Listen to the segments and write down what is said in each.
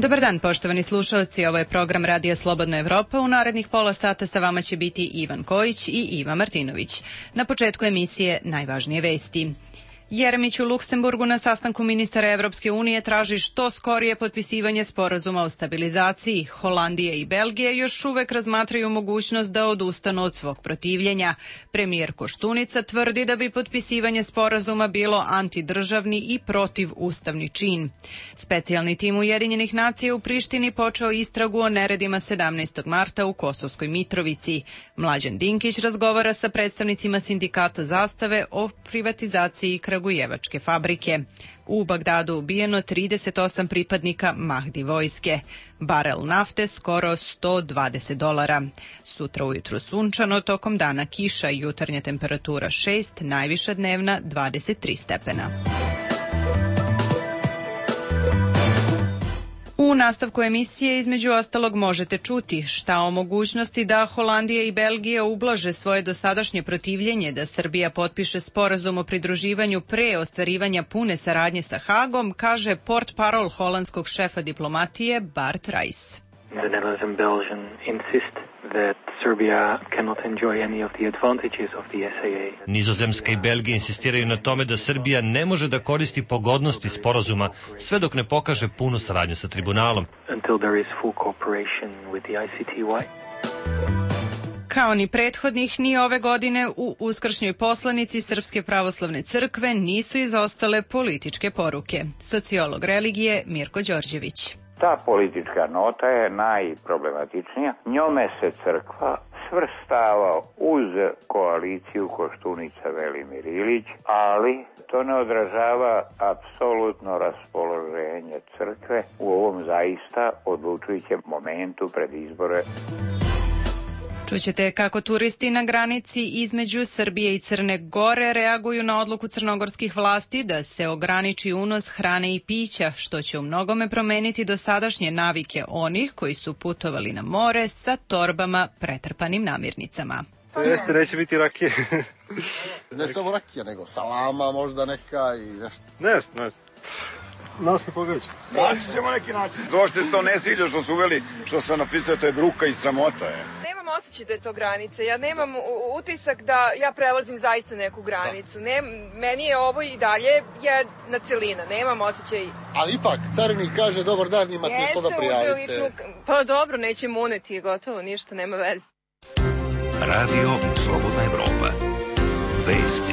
Dobar dan, poštovani slušalci, ovo je program Radija Slobodna Evropa. U narednih pola sata sa vama će biti Ivan Kojić i Iva Martinović. Na početku emisije najvažnije vesti. Jeremić u Luksemburgu na sastanku ministara Evropske unije traži što skorije potpisivanje sporazuma o stabilizaciji. Holandija i Belgija još uvek razmatraju mogućnost da odustanu od svog protivljenja. Premijer Koštunica tvrdi da bi potpisivanje sporazuma bilo antidržavni i protivustavni čin. Specijalni tim Ujedinjenih nacija u Prištini počeo istragu o neredima 17. marta u Kosovskoj Mitrovici. Mlađan Dinkić razgovara sa predstavnicima sindikata Zastave o privatizaciji kragujevačke fabrike. U Bagdadu ubijeno 38 pripadnika Mahdi vojske. Barel nafte skoro $120. Sutra ujutru sunčano, tokom dana kiša, jutarnja temperatura 6, najviša dnevna 23 stepena. U nastavku emisije između ostalog možete čuti šta o mogućnosti da Holandija i Belgija ublaže svoje dosadašnje protivljenje da Srbija potpiše sporazum o pridruživanju pre ostvarivanja pune saradnje sa Hagom, kaže portparol holandskog šefa diplomatije Bart Rijs. The Netherlands and Belgium insist that Serbia cannot enjoy any of the advantages of the SAA. Nizozemska i Belgija insistiraju na tome da Srbija ne može da koristi pogodnosti sporazuma sve dok ne pokaže punu saradnju sa tribunalom. Until there is full cooperation with the ICTY. Kao ni prethodnih, ni ove godine u uskršnjoj poslanici Srpske pravoslavne crkve nisu izostale političke poruke. Sociolog religije Mirko Đorđević. Ta politička nota je najproblematičnija. Njome se crkva svrstava uz koaliciju Koštunica-Velimir Ilić, ali to ne odražava apsolutno raspoloženje crkve u ovom zaista odlučujućem momentu pred izbore. Čućete kako turisti na granici između Srbije i Crne Gore reaguju na odluku crnogorskih vlasti da se ograniči unos hrane i pića, što će u mnogome promeniti dosadašnje navike onih koji su putovali na more sa torbama pretrpanim namirnicama. Jeste, neće biti rakije. Ne samo rakija, nego salama možda neka i nešto. Ne. Nas ne pogađa. Naći ćemo neki način. To što se to ne sviđa što su uveli, što sam napisao, to je bruka i sramota. Nemam osjećaj da je to granica. Ja nemam utisak da ja prelazim zaista neku granicu. Meni je ovo i dalje jedna celina. Nemam osjećaj. Ali ipak, carinik kaže dobar dan, imate što da prijavite. Pa dobro, nećemo uneti, gotovo, ništa, nema veze. Radio Slobodna Evropa. Vesti.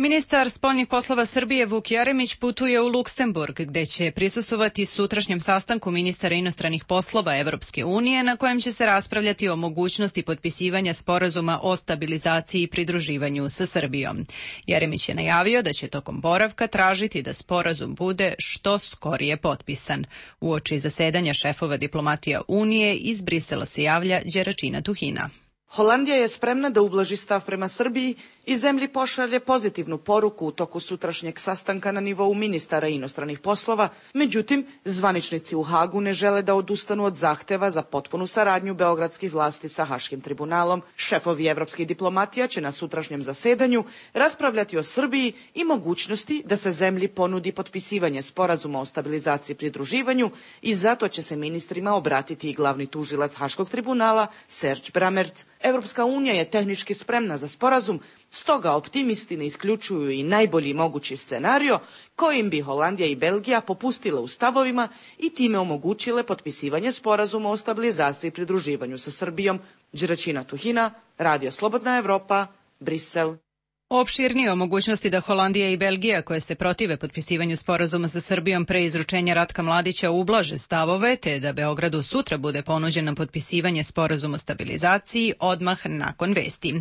Ministar spoljnih poslova Srbije Vuk Jeremić putuje u Luksemburg, gde će prisustvovati sutrašnjem sastanku ministara inostranih poslova Evropske unije, na kojem će se raspravljati o mogućnosti potpisivanja sporazuma o stabilizaciji i pridruživanju sa Srbijom. Jeremić je najavio da će tokom boravka tražiti da sporazum bude što skorije potpisan. Uoči zasedanja šefova diplomatija Unije iz Brisela se javlja Đeračina Tuhina. Holandija je spremna da ublaži stav prema Srbiji i zemlji pošalje pozitivnu poruku u toku sutrašnjeg sastanka na nivou ministara inostranih poslova, međutim, zvaničnici u Hagu ne žele da odustanu od zahteva za potpunu saradnju beogradskih vlasti sa Haškim tribunalom. Šefovi evropskih diplomatija će na sutrašnjem zasedanju raspravljati o Srbiji i mogućnosti da se zemlji ponudi potpisivanje sporazuma o stabilizaciji i pridruživanju i zato će se ministrima obratiti i glavni tužilac Haškog tribunala Serge Bramertz. Evropska unija je tehnički spremna za sporazum, stoga optimisti ne isključuju i najbolji mogući scenario kojim bi Holandija i Belgija popustile u stavovima i time omogućile potpisivanje sporazuma o stabilizaciji i pridruživanju sa Srbijom. Đeračina Tuhina, Radio Slobodna Evropa, Brisel. Opširnije o mogućnosti da Holandija i Belgija, koje se protive potpisivanju sporazuma sa Srbijom pre izručenja Ratka Mladića, ublaže stavove, te da Beogradu sutra bude ponuđeno potpisivanje sporazuma o stabilizaciji odmah nakon vesti.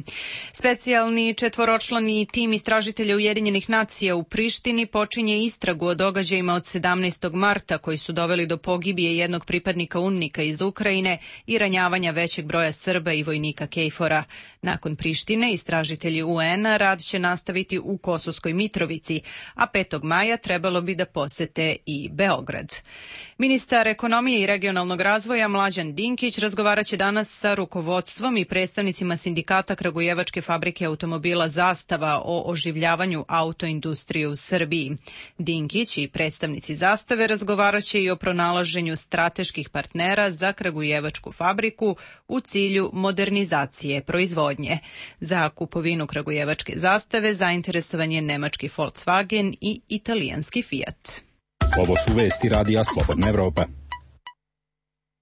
Specijalni četvoročlani tim istražitelja Ujedinjenih nacija u Prištini počinje istragu o događajima od 17. marta koji su doveli do pogibije jednog pripadnika UNMIK-a iz Ukrajine i ranjavanja većeg broja Srba i vojnika KFOR-a. Nakon Prištine, istražitelji UN-a rade rad će nastaviti u Kosovskoj Mitrovici, a 5. maja trebalo bi da posete i Beograd. Ministar ekonomije i regionalnog razvoja Mlađan Dinkić razgovaraće danas sa rukovodstvom i predstavnicima sindikata Kragujevačke fabrike automobila Zastava o oživljavanju autoindustrije u Srbiji. Dinkić i predstavnici Zastave razgovaraće i o pronalaženju strateških partnera za Kragujevačku fabriku u cilju modernizacije proizvodnje. Za kupovinu Kragujevačke Zastave zainteresovan je nemački Volkswagen i italijanski Fiat. Ovo su vesti Radija Slobodna Evropa.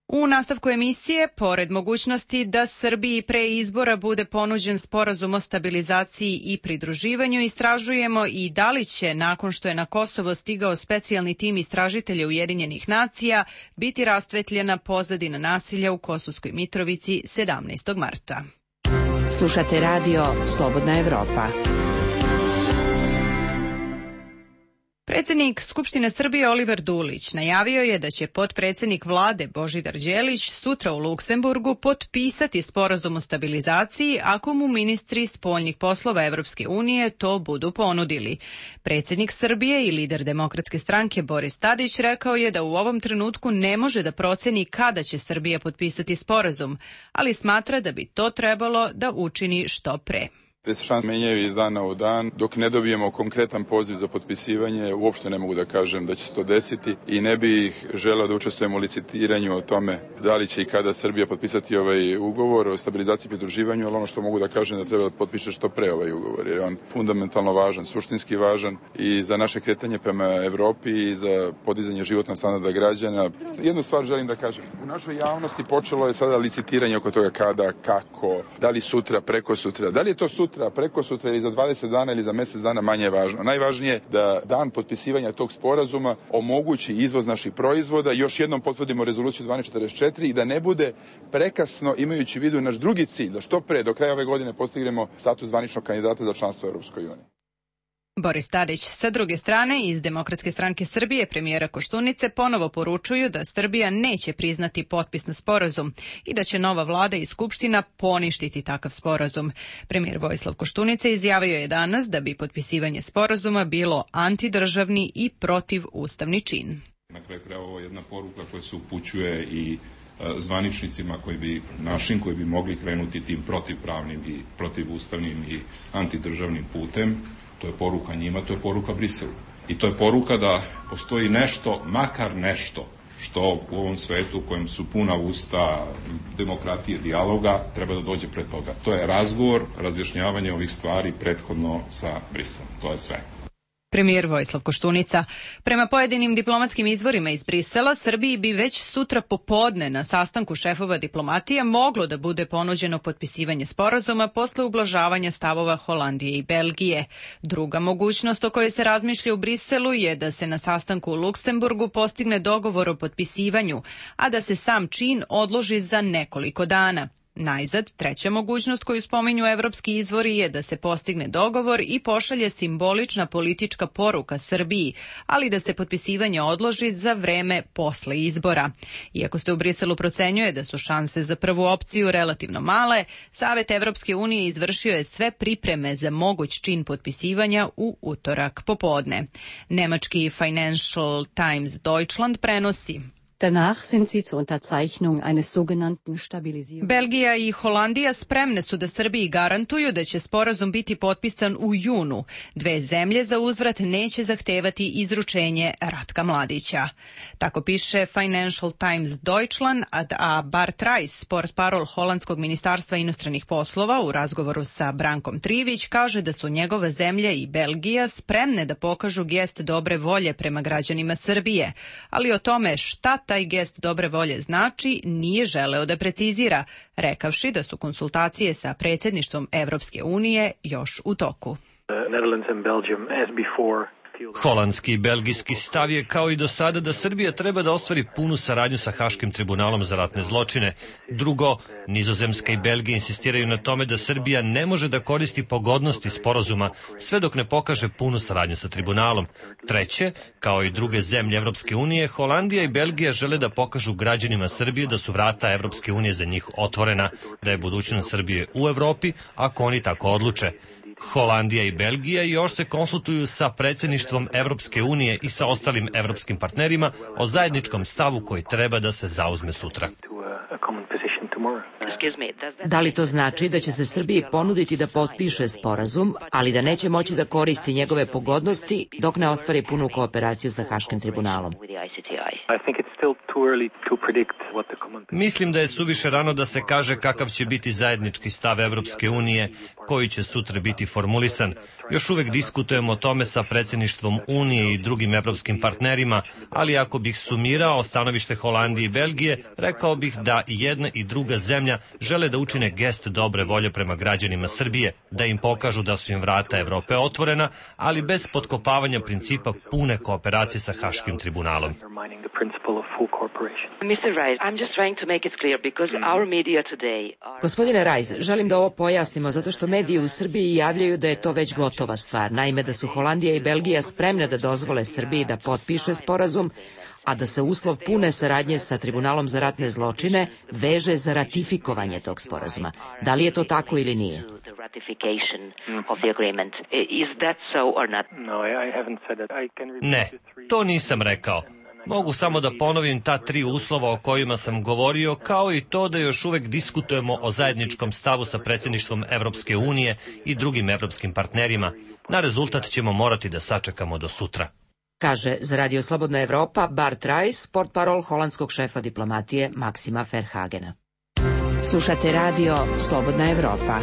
U nastavku emisije, pored mogućnosti da Srbiji pre izbora bude ponuđen sporazum o stabilizaciji i pridruživanju, istražujemo i da li će, nakon što je na Kosovo stigao specijalni tim istražitelja Ujedinjenih nacija, biti rastvetljena pozadina nasilja u Kosovskoj Mitrovici 17. marta. Slušate radio Slobodna Evropa. Predsjednik Skupštine Srbije Oliver Dulić najavio je da će potpredsjednik vlade Božidar Đelić sutra u Luksemburgu potpisati sporazum o stabilizaciji ako mu ministri spoljnih poslova Evropske unije to budu ponudili. Predsjednik Srbije i lider Demokratske stranke Boris Tadić rekao je da u ovom trenutku ne može da proceni kada će Srbija potpisati sporazum, ali smatra da bi to trebalo da učini što pre. Te se šanse menjaju iz dana u dan. Dok ne dobijemo konkretan poziv za potpisivanje, uopšte ne mogu da kažem da će se to desiti i ne bih želeo da učestvujemo u licitiranju o tome da li će i kada Srbija potpisati ovaj ugovor o stabilizaciji i pridruživanju, ali ono što mogu da kažem da treba da potpiše što pre ovaj ugovor, jer je on fundamentalno važan, suštinski važan i za naše kretanje prema Evropi i za podizanje životnog standarda građana. Jednu stvar želim da kažem. U našoj javnosti počelo je sada licitiranje oko toga kada, kako, da li sutra, preko sutra, da li je to sutra, preko sutra ili za 20 dana ili za mjesec dana, manje je važno. Najvažnije je da dan potpisivanja tog sporazuma omogući izvoz naših proizvoda. Još jednom potvrdimo rezoluciju 1244 i da ne bude prekasno, imajući u vidu naš drugi cilj, da što pre do kraja ove godine postignemo status zvaničnog kandidata za članstvo u Europskoj uniji. Boris Tadić sa druge strane iz Demokratske stranke Srbije premijera Koštunice ponovo poručuju da Srbija neće priznati potpis na sporazum i da će nova vlada i skupština poništiti takav sporazum. Premijer Vojislav Koštunica izjavio je danas da bi potpisivanje sporazuma bilo antidržavni i protivustavni čin. Na kraju krajeva ovo je jedna poruka koja se upućuje i zvaničnicima koji bi mogli krenuti tim protivpravnim i protivustavnim i antidržavnim putem. To je poruka njima, to je poruka Briselu. I to je poruka da postoji nešto, makar nešto, što u ovom svetu u kojem su puna usta demokratije, dijaloga, treba da dođe pred toga. To je razgovor, razjašnjavanje ovih stvari prethodno sa Briselom. To je sve. Premijer Vojislav Koštunica. Prema pojedinim diplomatskim izvorima iz Brisela, Srbiji bi već sutra popodne na sastanku šefova diplomatije moglo da bude ponuđeno potpisivanje sporazuma posle ublažavanja stavova Holandije i Belgije. Druga mogućnost o kojoj se razmišlja u Briselu je da se na sastanku u Luksemburgu postigne dogovor o potpisivanju, a da se sam čin odloži za nekoliko dana. Najzad, treća mogućnost koju spominju evropski izvori je da se postigne dogovor i pošalje simbolična politička poruka Srbiji, ali da se potpisivanje odloži za vreme posle izbora. Iako se u Briselu procenjuje da su šanse za prvu opciju relativno male, Savet Evropske unije izvršio je sve pripreme za moguć čin potpisivanja u utorak popodne. Nemački Financial Times Deutschland prenosi: Danach sind sie zur Unterzeichnung eines sogenannten Stabilisierungs. Belgija i Holandija spremne su da Srbiji garantuju da će sporazum biti potpisan u junu. Dve zemlje za uzvrat neće zahtevati izručenje Ratka Mladića. Tako piše Financial Times Deutschland, a Bart Reiss, portparol holandskog ministarstva inostranih poslova, u razgovoru sa Brankom Trivić, kaže da su njegova zemlja i Belgija spremne da pokažu gest dobre volje prema građanima Srbije, ali o tome šta taj gest dobre volje znači nije želeo da precizira, rekavši da su konsultacije sa predsjedništvom Evropske unije još u toku. Holandski i belgijski stav je kao i do sada da Srbija treba da ostvari punu saradnju sa Haškim tribunalom za ratne zločine. Drugo, Nizozemska i Belgija insistiraju na tome da Srbija ne može da koristi pogodnosti sporazuma sve dok ne pokaže punu saradnju sa tribunalom. Treće, kao i druge zemlje Evropske unije, Holandija i Belgija žele da pokažu građanima Srbije da su vrata Evropske unije za njih otvorena, da je budućnost Srbije u Evropi ako oni tako odluče. Holandija i Belgija još se konsultuju sa predsjedništvom Evropske unije i sa ostalim evropskim partnerima o zajedničkom stavu koji treba da se zauzme sutra. Da li to znači da će se Srbiji ponuditi da potpiše sporazum, ali da neće moći da koristi njegove pogodnosti dok ne ostvari punu kooperaciju sa Haškim tribunalom? Mislim da je suviše rano da se kaže kakav će biti zajednički stav Evropske unije, koji će sutra biti formulisan. Još uvek diskutujemo o tome sa predsjedništvom Unije i drugim evropskim partnerima, ali ako bih sumirao stanovište Holandije i Belgije, rekao bih da i jedna i druga zemlja žele da učine gest dobre volje prema građanima Srbije, da im pokažu da su im vrata Evrope otvorena, ali bez potkopavanja principa pune kooperacije sa Haškim tribunalom. Gospodine Rajs, želim da ovo pojasnimo zato što mediji u Srbiji javljaju da je to već gotova stvar. Naime, da su Holandija i Belgija spremne da dozvole Srbiji da potpiše sporazum, a da se uslov pune saradnje sa Tribunalom za ratne zločine veže za ratifikovanje tog sporazuma. Da li je to tako ili nije? Ne, to nisam rekao. Mogu samo da ponovim ta 3 uslova o kojima sam govorio, kao i to da još uvek diskutujemo o zajedničkom stavu sa predsjedništvom Evropske unije i drugim evropskim partnerima. Na rezultat ćemo morati da sačekamo do sutra. Kaže za Radio Slobodna Evropa Bart Rajs, portparol holandskog šefa diplomatije Maksima Verhagena. Slušate Radio Slobodna Evropa.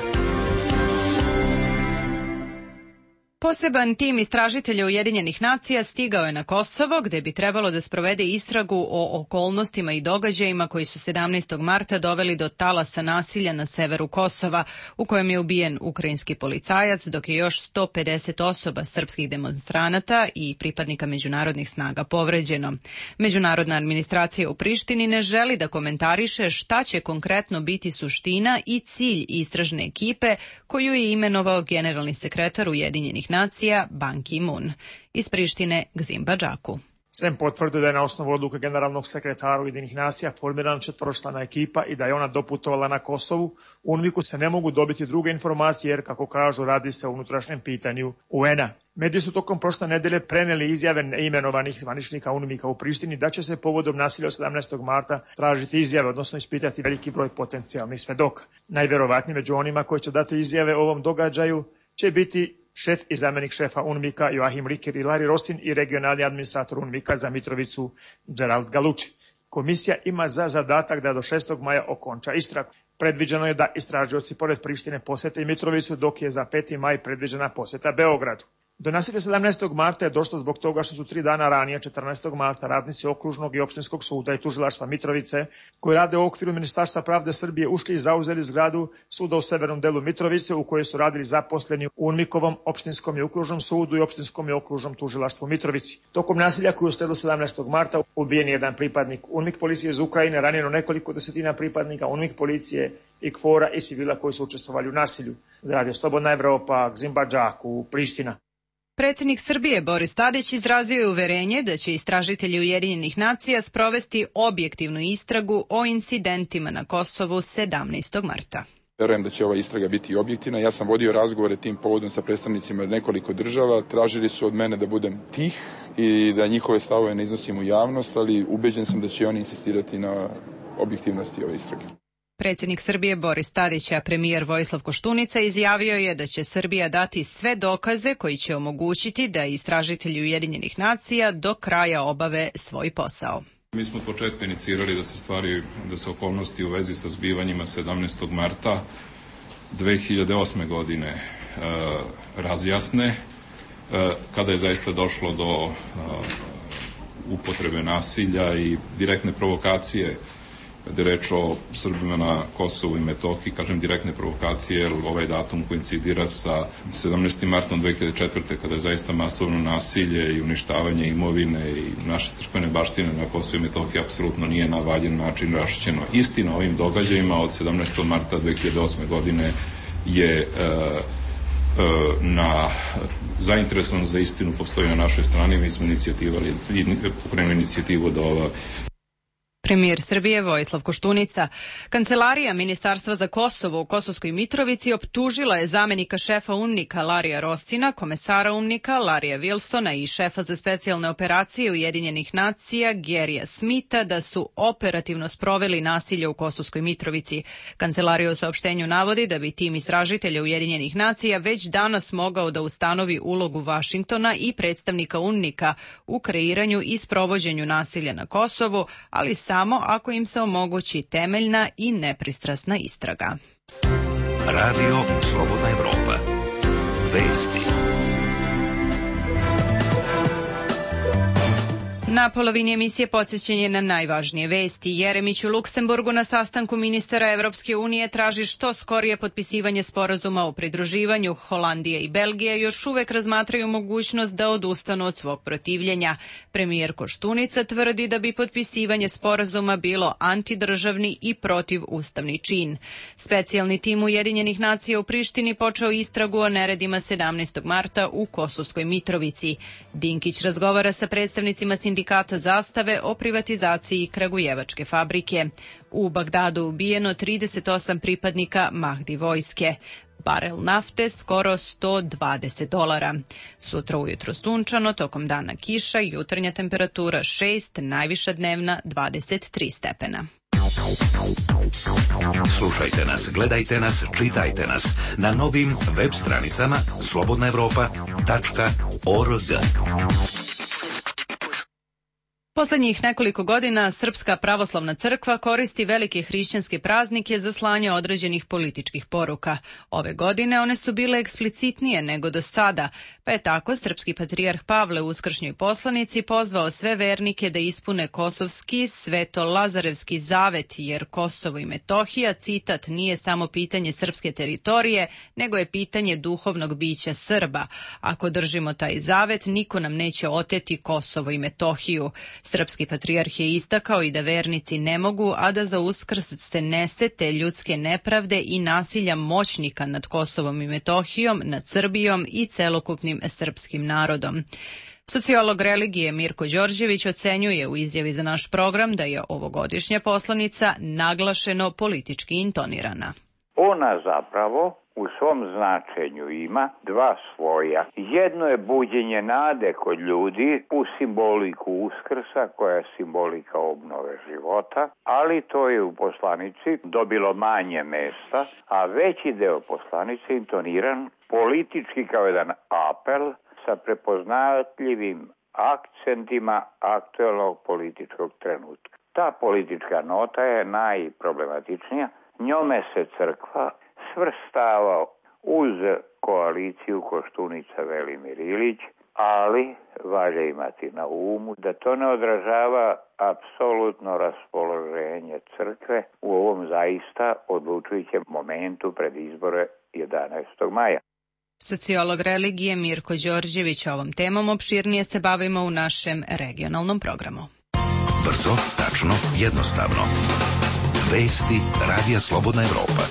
Poseban tim istražitelja Ujedinjenih nacija stigao je na Kosovo, gde bi trebalo da sprovede istragu o okolnostima i događajima koji su 17. marta doveli do talasa nasilja na severu Kosova, u kojem je ubijen ukrajinski policajac, dok je još 150 osoba srpskih demonstranata i pripadnika međunarodnih snaga povređeno. Međunarodna administracija u Prištini ne želi da komentariše šta će konkretno biti suština i cilj istražne ekipe koju je imenovao generalni sekretar Ujedinjenih nacija Ban Ki-moon. Iz Prištine Gzim Badžaku. Sem potvrdio da je na osnovu odluke generalnog sekretara Ujedinjenih nacija formirana 4-člana ekipa i da je ona doputovala na Kosovu, u UNMIK-u se ne mogu dobiti druge informacije jer, kako kažu, radi se o unutrašnjem pitanju UN-a. Mediji su tokom prošle nedelje preneli izjave neimenovanih zvaničnika UNMIK-a u Prištini da će se povodom nasilja od 17. marta tražiti izjave, odnosno ispitati veliki broj potencijalnih svedoka. Najverovatnije među onima koji će dati izjave o ovom događaju će biti šef i zamjenik šefa UNMIK-a Joachim Riker i Larry Rosin i regionalni administrator UNMIK-a za Mitrovicu Gerald Galucci. Komisija ima za zadatak da do 6. maja okonča istragu. Predviđeno je da istražioci pored Prištine posete i Mitrovicu, dok je za 5. maj predviđena poseta Beogradu. Do nasilja 17. marta je došlo zbog toga što su 3 dana ranije, 14. marta, radnici okružnog i opštinskog suda i tužilaštva Mitrovice, koji rade u okviru Ministarstva pravde Srbije, ušli i zauzeli zgradu suda u severnom delu Mitrovice, u kojoj su radili zaposleni u UNMIK-ovom opštinskom i okružnom sudu i opštinskom i okružnom tužilaštvu Mitrovici. Tokom nasilja koji je usledilo 17. marta ubijen je jedan pripadnik UNMIK policije iz Ukrajine, ranjeno nekoliko desetina pripadnika UNMIK policije i KFOR-a i civila koji su učestvovali u nasilju. Za Radio Slobodna Evropa, Gzim Badžaku, Priština. Predsjednik Srbije Boris Tadić izrazio je uverenje da će istražitelji Ujedinjenih nacija sprovesti objektivnu istragu o incidentima na Kosovu 17. marta. Verujem da će ova istraga biti objektivna. Ja sam vodio razgovore tim povodom sa predstavnicima nekoliko država. Tražili su od mene da budem tih i da njihove stavove ne iznosim u javnost, ali ubeđen sam da će oni insistirati na objektivnosti ove istrage. Predsjednik Srbije Boris Tadić, a premijer Vojislav Koštunica izjavio je da će Srbija dati sve dokaze koji će omogućiti da istražitelji Ujedinjenih nacija do kraja obave svoj posao. Mi smo od početka inicirali da se okolnosti u vezi sa zbivanjima 17. marta 2008. godine razjasne, kada je zaista došlo do upotrebe nasilja i direktne provokacije kada je reč o Srbima na Kosovu i Metohiji, kažem direktne provokacije, jer ovaj datum koincidira sa 17. martom 2004. kada je zaista masovno nasilje i uništavanje imovine i naše crkvene baštine na Kosovu i Metohiji apsolutno nije na valjan način raščišćeno. Istina o ovim događajima od 17. marta 2008. godine je zainteresovan za istinu postoji na našoj strani. Mi smo pokrenuli inicijativu da ova Premijer Srbije Vojislav Koštunica. Kancelarija Ministarstva za Kosovo u Kosovskoj Mitrovici optužila je zamenika šefa UNMNIK-a Larija Rostina, komesara UNMNIK-a Larija Wilsona i šefa za specijalne operacije Ujedinjenih nacija Gerija Smitha da su operativno sproveli nasilje u Kosovskoj Mitrovici. Kancelarija u saopštenju navodi da bi tim istražitelja Ujedinjenih nacija već danas mogao da ustanovi ulogu Vašingtona i predstavnika UNMNIK-a u kreiranju i sprovođenju nasilja na Kosovu, ali samo ako im se omogući temeljna i nepristrasna istraga. Radio Slobodna Evropa. Vesti. Na polovini emisije podsjećanje na najvažnije vesti. Jeremić u Luksemburgu na sastanku ministara Evropske unije traži što skorije potpisivanje sporazuma o pridruživanju. Holandija i Belgija još uvek razmatraju mogućnost da odustanu od svog protivljenja. Premijer Koštunica tvrdi da bi potpisivanje sporazuma bilo antidržavni i protivustavni čin. Specijalni tim Ujedinjenih nacija u Prištini počeo istragu o neredima 17. marta u Kosovskoj Mitrovici. Dinkić razgovara sa predstavnicima sindikata Zastave o privatizaciji kragujevačke fabrike. U Bagdadu ubijeno 38 pripadnika Mahdi vojske. Barel nafte skoro $120. Sutra ujutro sunčano, tokom dana kiša, jutarnja temperatura 6, najviša dnevna 23 stepena. Slušajte nas, gledajte nas, čitajte nas na novim web stranicama slobodnaevropa.org. Poslednjih nekoliko godina Srpska pravoslavna crkva koristi velike hrišćanske praznike za slanje određenih političkih poruka. Ove godine one su bile eksplicitnije nego do sada, pa je tako srpski patrijarh Pavle u uskršnjoj poslanici pozvao sve vernike da ispune kosovski sveto-lazarevski zavet, jer Kosovo i Metohija, citat, nije samo pitanje srpske teritorije, nego je pitanje duhovnog bića Srba. Ako držimo taj zavet, niko nam neće oteti Kosovo i Metohiju. Srpski patrijarh je istakao i da vernici ne mogu, a da za Uskrs se ne sete ljudske nepravde i nasilja moćnika nad Kosovom i Metohijom, nad Srbijom i celokupnim srpskim narodom. Sociolog religije Mirko Đorđević ocenjuje u izjavi za naš program da je ovogodišnja poslanica naglašeno politički intonirana. Ona zapravo u svom značenju ima dva svoja. Jedno je buđenje nade kod ljudi u simboliku Uskrsa, koja je simbolika obnove života, ali to je u poslanici dobilo manje mesta, a veći deo poslanice intoniran politički kao jedan apel sa prepoznatljivim akcentima aktuelnog političkog trenutka. Ta politička nota je najproblematičnija. Njome se crkva svrstava uz koaliciju Koštunica-Velimir Ilić, ali valja imati na umu da to ne odražava apsolutno raspoloženje crkve u ovom zaista odlučujućem momentu pred izbore 11. maja. Sociolog religije Mirko Đorđević ovom temom opširnije se bavimo u našem regionalnom programu. Brzo, tačno, jednostavno. Vesti Radija Slobodna Evropa.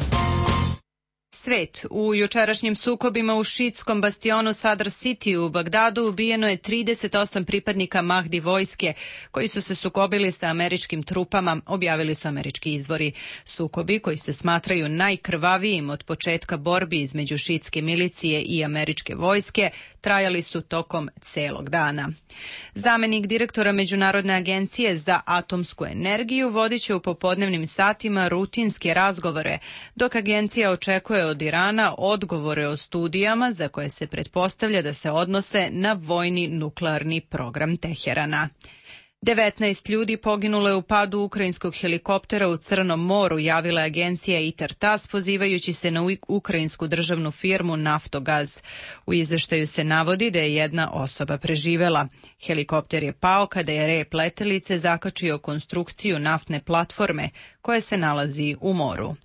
Svet. U jučerašnjim sukobima u šiitskom bastionu Sadr City u Bagdadu ubijeno je 38 pripadnika Mahdi vojske koji su se sukobili sa američkim trupama, objavili su američki izvori. Sukobi, koji se smatraju najkrvavijim od početka borbi između šiitske milicije i američke vojske, trajali su tokom celog dana. Zamenik direktora Međunarodne agencije za atomsku energiju vodit će u popodnevnim satima rutinske razgovore, dok agencija očekuje od Irana odgovore o studijama za koje se pretpostavlja da se odnose na vojni nuklearni program Teherana. 19 ljudi poginulo je u padu ukrajinskog helikoptera u Crnom moru, javila je agencija ITAR-TASS pozivajući se na ukrajinsku državnu firmu Naftogaz. U izveštaju se navodi da je jedna osoba preživela. Helikopter je pao kada je rep letelice zakačio konstrukciju naftne platforme koja se nalazi u moru.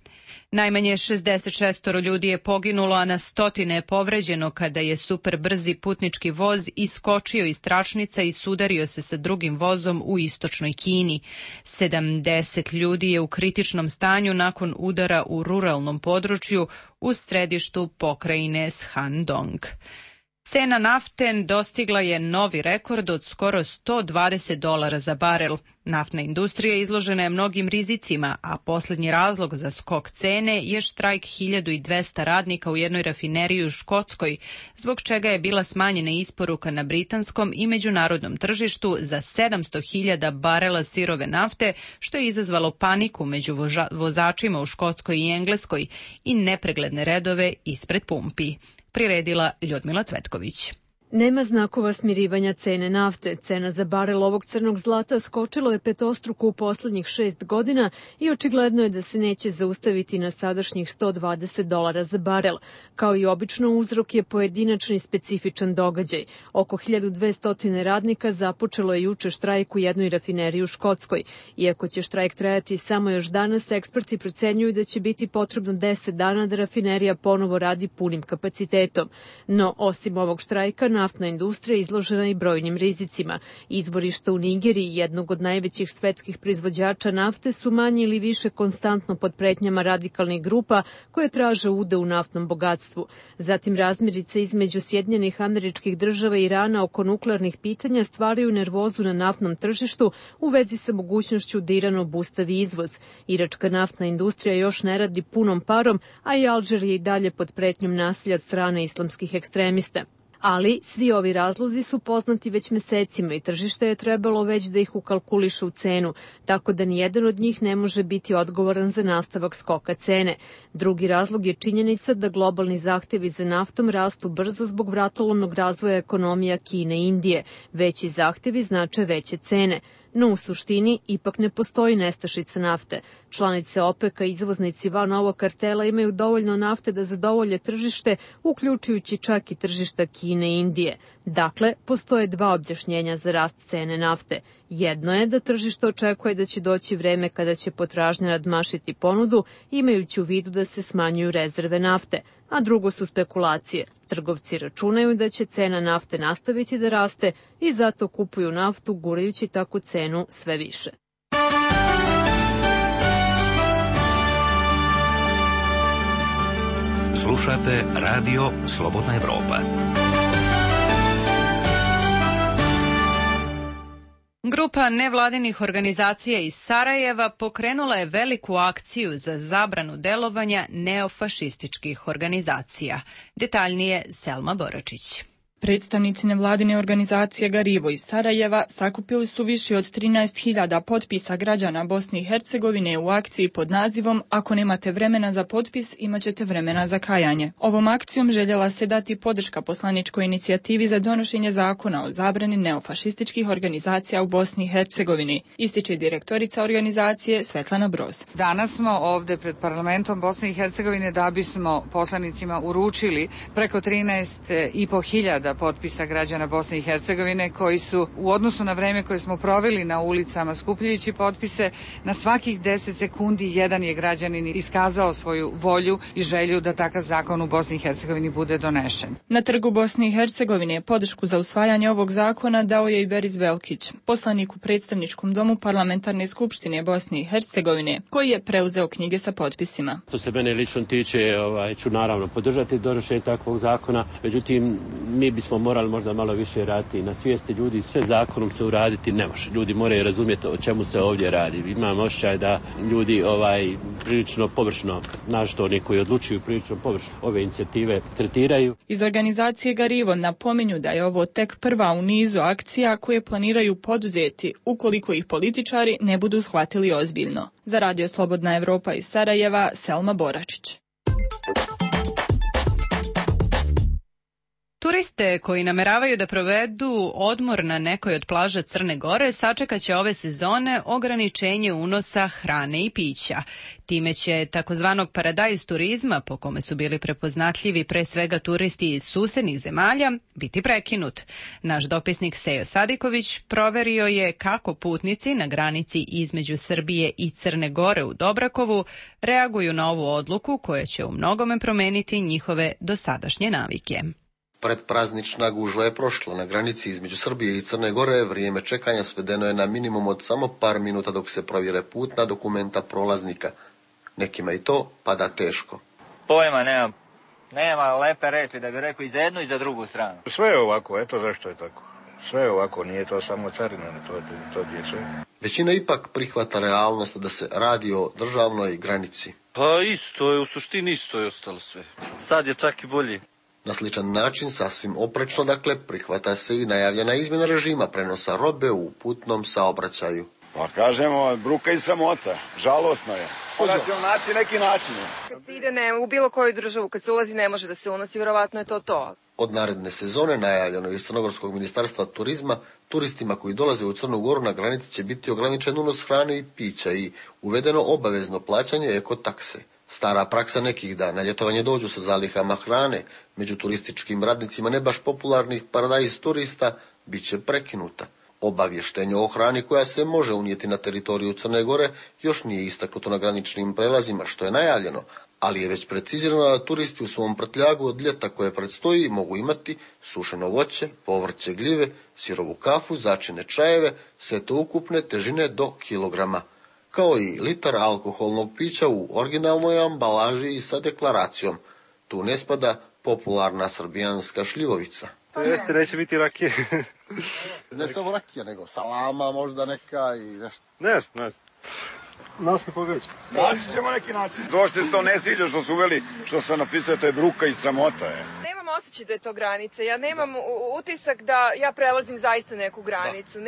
Najmanje 66 ljudi je poginulo, a na stotine je povređeno kada je superbrzi putnički voz iskočio iz tračnica i sudario se sa drugim vozom u istočnoj Kini. 70 ljudi je u kritičnom stanju nakon udara u ruralnom području u središtu pokrajine Shandong. Cena nafte dostigla je novi rekord od skoro $120 za barel. Naftna industrija izložena je mnogim rizicima, a posljednji razlog za skok cene je štrajk 1200 radnika u jednoj rafineriji u Škotskoj, zbog čega je bila smanjena isporuka na britanskom i međunarodnom tržištu za 700.000 barela sirove nafte, što je izazvalo paniku među vozačima u Škotskoj i Engleskoj i nepregledne redove ispred pumpi. Priredila Ljudmila Cvetković. Nema znakova smirivanja cene nafte. Cena za barel ovog crnog zlata skočilo je petostruko u poslednjih 6 godina i očigledno je da se neće zaustaviti na sadašnjih $120 za barel. Kao i obično, uzrok je pojedinačni specifičan događaj. Oko 1200 radnika započelo je juče štrajk u jednoj rafineriji u Škotskoj. Iako će štrajk trajati samo još danas, eksperti procenjuju da će biti potrebno 10 dana da rafinerija ponovo radi punim kapacitetom. No, osim ovog štrajka, naftna industrija izložena i brojnim rizicima. Izvorišta u Nigeriji, jednog od najvećih svetskih proizvođača nafte, su manje ili više konstantno pod pretnjama radikalnih grupa koje traže udeo u naftnom bogatstvu. Zatim razmirice između Sjedinjenih Američkih Država i Irana oko nuklearnih pitanja stvaraju nervozu na naftnom tržištu u vezi sa mogućnošću da Iran obustavi izvoz. Iračka naftna industrija još ne radi punom parom, a i Alžir je i dalje pod pretnjom nasilja od strane islamskih ekstremista. Ali svi ovi razlozi su poznati već mesecima i tržište je trebalo već da ih ukalkuliše u cenu, tako da nijedan od njih ne može biti odgovoran za nastavak skoka cene. Drugi razlog je činjenica da globalni zahtevi za naftom rastu brzo zbog vratolomnog razvoja ekonomija Kine i Indije. Veći zahtevi znače veće cene. No u suštini ipak ne postoji nestašica nafte. Članice OPEC-a i izvoznici van ovog kartela imaju dovoljno nafte da zadovolje tržište, uključujući čak i tržišta Kine i Indije. Dakle, postoje dva objašnjenja za rast cene nafte. Jedno je da tržište očekuje da će doći vreme kada će potražnja nadmašiti ponudu, imajući u vidu da se smanjuju rezerve nafte. A drugo su spekulacije. Trgovci računaju da će cena nafte nastaviti da raste i zato kupuju naftu, gurajući tako cenu sve više. Slušate Radio Slobodna Evropa. Grupa nevladinih organizacija iz Sarajeva pokrenula je veliku akciju za zabranu delovanja neofašističkih organizacija. Detaljnije Selma Boračić. Predstavnici nevladine organizacije Garivo iz Sarajeva sakupili su više od 13.000 potpisa građana Bosne i Hercegovine u akciji pod nazivom "Ako nemate vremena za potpis, imaćete vremena za kajanje". Ovom akcijom željela se dati podrška poslaničkoj inicijativi za donošenje zakona o zabrani neofašističkih organizacija u Bosni i Hercegovini, ističe direktorica organizacije Svetlana Broz. Danas smo ovde pred parlamentom Bosne i Hercegovine da bismo poslanicima uručili preko 13.500 potpisa građana Bosne i Hercegovine koji su u odnosu na vreme koje smo proveli na ulicama skupljajući potpise, na svakih 10 sekundi jedan je građanin iskazao svoju volju i želju da takav zakon u Bosni i Hercegovini bude donešen. Na trgu Bosne i Hercegovine podršku za usvajanje ovog zakona dao je i Beris Velkić, poslanik u predstavničkom domu Parlamentarne skupštine Bosne i Hercegovine, koji je preuzeo knjige sa potpisima. Što se mene lično tiče, ću naravno podržati donošenje takvog zakona, međutim mi bismo morali možda malo više raditi na svijesti ljudi, sve zakonom se uraditi ne može. Ljudi moraju razumjeti o čemu se ovdje radi. Imam osjećaj da ljudi prilično površno, našto oni koji odlučuju prilično površno ove inicijative tretiraju. Iz organizacije Garivo napominju da je ovo tek prva u nizu akcija koje planiraju poduzeti ukoliko ih političari ne budu shvatili ozbiljno. Za Radio Slobodna Evropa iz Sarajeva, Selma Boračić. Turiste koji nameravaju da provedu odmor na nekoj od plaža Crne Gore sačekaće ove sezone ograničenje unosa hrane i pića. Time će takozvanog paradajz turizma, po kome su bili prepoznatljivi pre svega turisti iz susednih zemalja, biti prekinut. Naš dopisnik Sejo Sadiković proverio je kako putnici na granici između Srbije i Crne Gore u Dobrakovu reaguju na ovu odluku koja će u mnogome promeniti njihove dosadašnje navike. Predpraznična gužva je prošla. Na granici između Srbije i Crne Gore vrijeme čekanja svedeno je na minimum od samo par minuta dok se provjere putna dokumenta prolaznika. Nekima i to pada teško. Pojma nemam. Nema lepe reči da bi rekao i za jednu i za drugu stranu. Sve je ovako, eto zašto je tako. Sve je ovako, nije to samo carina, to je sve. Većina ipak prihvata realnost da se radi o državnoj granici. Pa isto je, u suštini isto je ostalo sve. Sad je čak i bolje. Na sličan način, sasvim oprečno, dakle, prihvata se i najavljena izmjena režima prenosa robe u putnom saobraćaju. Pa kažemo, bruka i sramota, žalosno je. Mora ćemo naći neki način. Kad se ide u bilo koju državu, kad se ulazi ne može da se unosi, vjerovatno je to. Od naredne sezone najavljeno iz Crnogorskog ministarstva turizma, turistima koji dolaze u Crnu Goru na granici će biti ograničen unos hrane i pića i uvedeno obavezno plaćanje ekotakse. Stara praksa nekih da na ljetovanje dođu sa zalihama hrane, među turističkim radnicima ne baš popularnih paradajz turista, bit će prekinuta. Obavještenje o hrani koja se može unijeti na teritoriju Crne Gore još nije istaknuto na graničnim prelazima, što je najavljeno, ali je već precizirano da turisti u svom prtljagu od ljeta koje predstoji mogu imati sušeno voće, povrće, gljive, sirovu kafu, začine čajeve, sve to ukupne težine do kilograma, kao i litar alkoholnog pića u originalnoj ambalaži i sa deklaracijom. Tu ne spada popularna srbijanska šljivovica. To jeste, neće biti rakije. Ne samo rakija, nego salama možda neka i nešto. Ne. Nas ne pogađa. Naći ćemo neki način. To što se to ne sviđa što su uveli, što sam napisao, to je bruka i sramota je. Nemam osjećaj da je to granica. Ja nemam utisak da ja prelazim zaista neku granicu.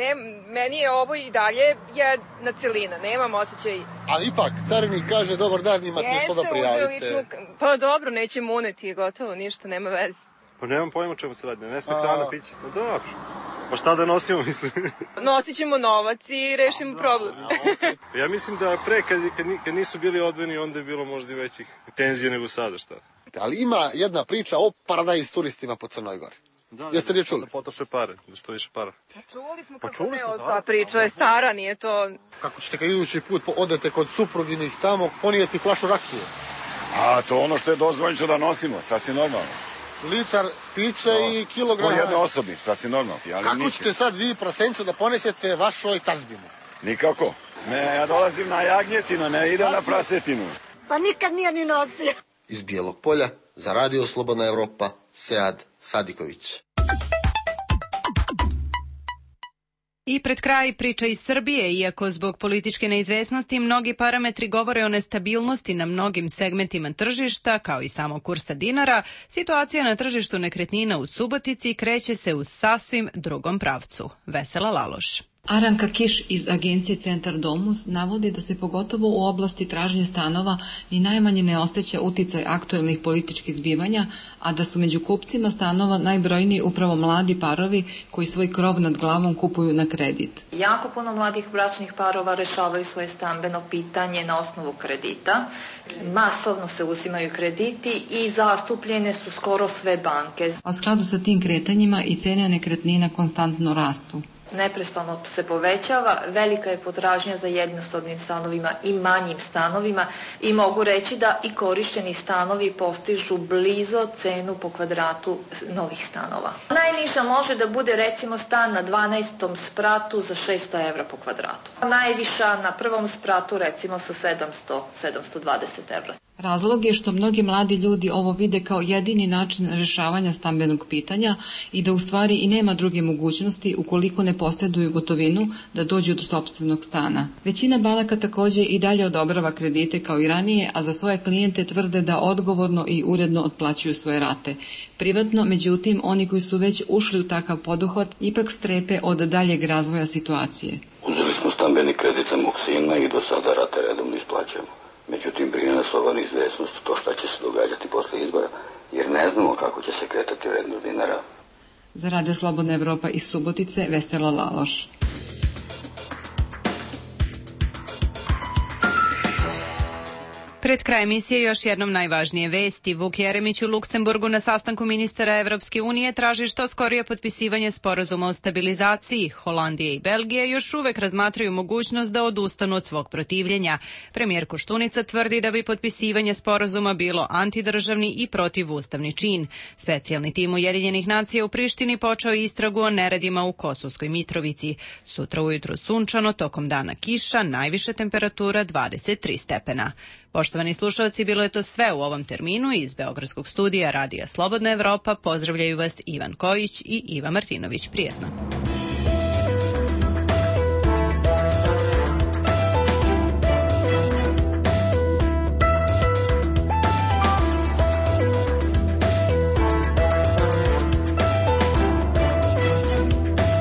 Meni je ovo i dalje jedna celina. Nemam osjećaj. Ali ipak, carinik kaže, dobar dan, imate nešto da prijavite. Pa dobro, nećemo uneti, gotovo, ništa, nema veze. Pa nemam pojma čemu se radi, ne sme hrana piće. Pa dobro. Pa šta da nosimo, mislim? Nosit ćemo novac i rešimo problem. Ja mislim da pre, kad nisu bili odvojeni, onda je bilo možda i većih tenzija nego sada, šta? Ali ima jedna priča o paradajz turistima po Crnoj Gori. Jeste li čuli? Da potroše pare, da što više para. Čuli smo ta priča je stara, nije to... Kako ćete kad idući put odete kod supruginih tamo, ponijeti flašu rakije? A to ono što je dozvoljeno da nosimo, sasvim normalno. Litar pića i kilogram... U jednoj osobi, sasvim normalno. Kako ćete sad vi, prasencu, da ponesete vašoj tazbinu? Nikako. Ja dolazim na jagnjetinu, ne idem na prasetinu. Pa nikad nije ni nosio. Iz Bijelog Polja, za Radio Slobodna Evropa, Sead Sadiković. I pred kraj priča iz Srbije, iako zbog političke neizvesnosti mnogi parametri govore o nestabilnosti na mnogim segmentima tržišta, kao i samog kursa dinara, situacija na tržištu nekretnina u Subotici kreće se u sasvim drugom pravcu. Vesela Laloš. Aranka Kiš iz agencije Centar Domus navodi da se pogotovo u oblasti tražnje stanova ni najmanje ne osjeća uticaj aktuelnih političkih zbivanja, a da su među kupcima stanova najbrojniji upravo mladi parovi koji svoj krov nad glavom kupuju na kredit. Jako puno mladih bračnih parova rešavaju svoje stambeno pitanje na osnovu kredita. Masovno se uzimaju krediti i zastupljene su skoro sve banke. A u skladu sa tim kretanjima i cene nekretnina konstantno rastu. Neprestano se povećava, velika je potražnja za jednosobnim stanovima i manjim stanovima i mogu reći da i korišteni stanovi postižu blizo cenu po kvadratu novih stanova. Najniža može da bude recimo stan na 12. spratu za 600 evra po kvadratu. Najviša na prvom spratu recimo sa 720 evra. Razlog je što mnogi mladi ljudi ovo vide kao jedini način rješavanja stambenog pitanja i da u stvari i nema druge mogućnosti ukoliko ne posjeduju gotovinu da dođu do sopstvenog stana. Većina banaka također i dalje odobrava kredite kao i ranije, a za svoje klijente tvrde da odgovorno i uredno otplaćuju svoje rate. Privatno, međutim, oni koji su već ušli u takav poduhvat ipak strepe od daljeg razvoja situacije. Uzeli smo stambeni kredit za mog sina i do sada rate redovno isplaćujemo. Međutim, brine nas ova neizvesnost to šta će se događati posle izbora, jer ne znamo kako će se kretati vrednost dinara. Za Radio Slobodna Evropa iz Subotice, Vesela Laloš. Pred kraj emisije još jednom najvažnije vesti. Vuk Jeremić u Luksemburgu na sastanku ministara Evropske unije traži što skorije potpisivanje sporazuma o stabilizaciji. Holandija i Belgija još uvek razmatraju mogućnost da odustanu od svog protivljenja. Premijer Koštunica tvrdi da bi potpisivanje sporazuma bilo antidržavni i protivustavni čin. Specijalni tim Ujedinjenih nacija u Prištini počeo istragu o neredima u Kosovskoj Mitrovici. Sutra ujutru sunčano, tokom dana kiša, najviša temperatura 23 stepena. Poštovani Poštovani slušalci, bilo je to sve u ovom terminu. Iz Beogradskog studija Radija Slobodna Evropa pozdravljaju vas Ivan Kojić i Iva Martinović. Prijetno.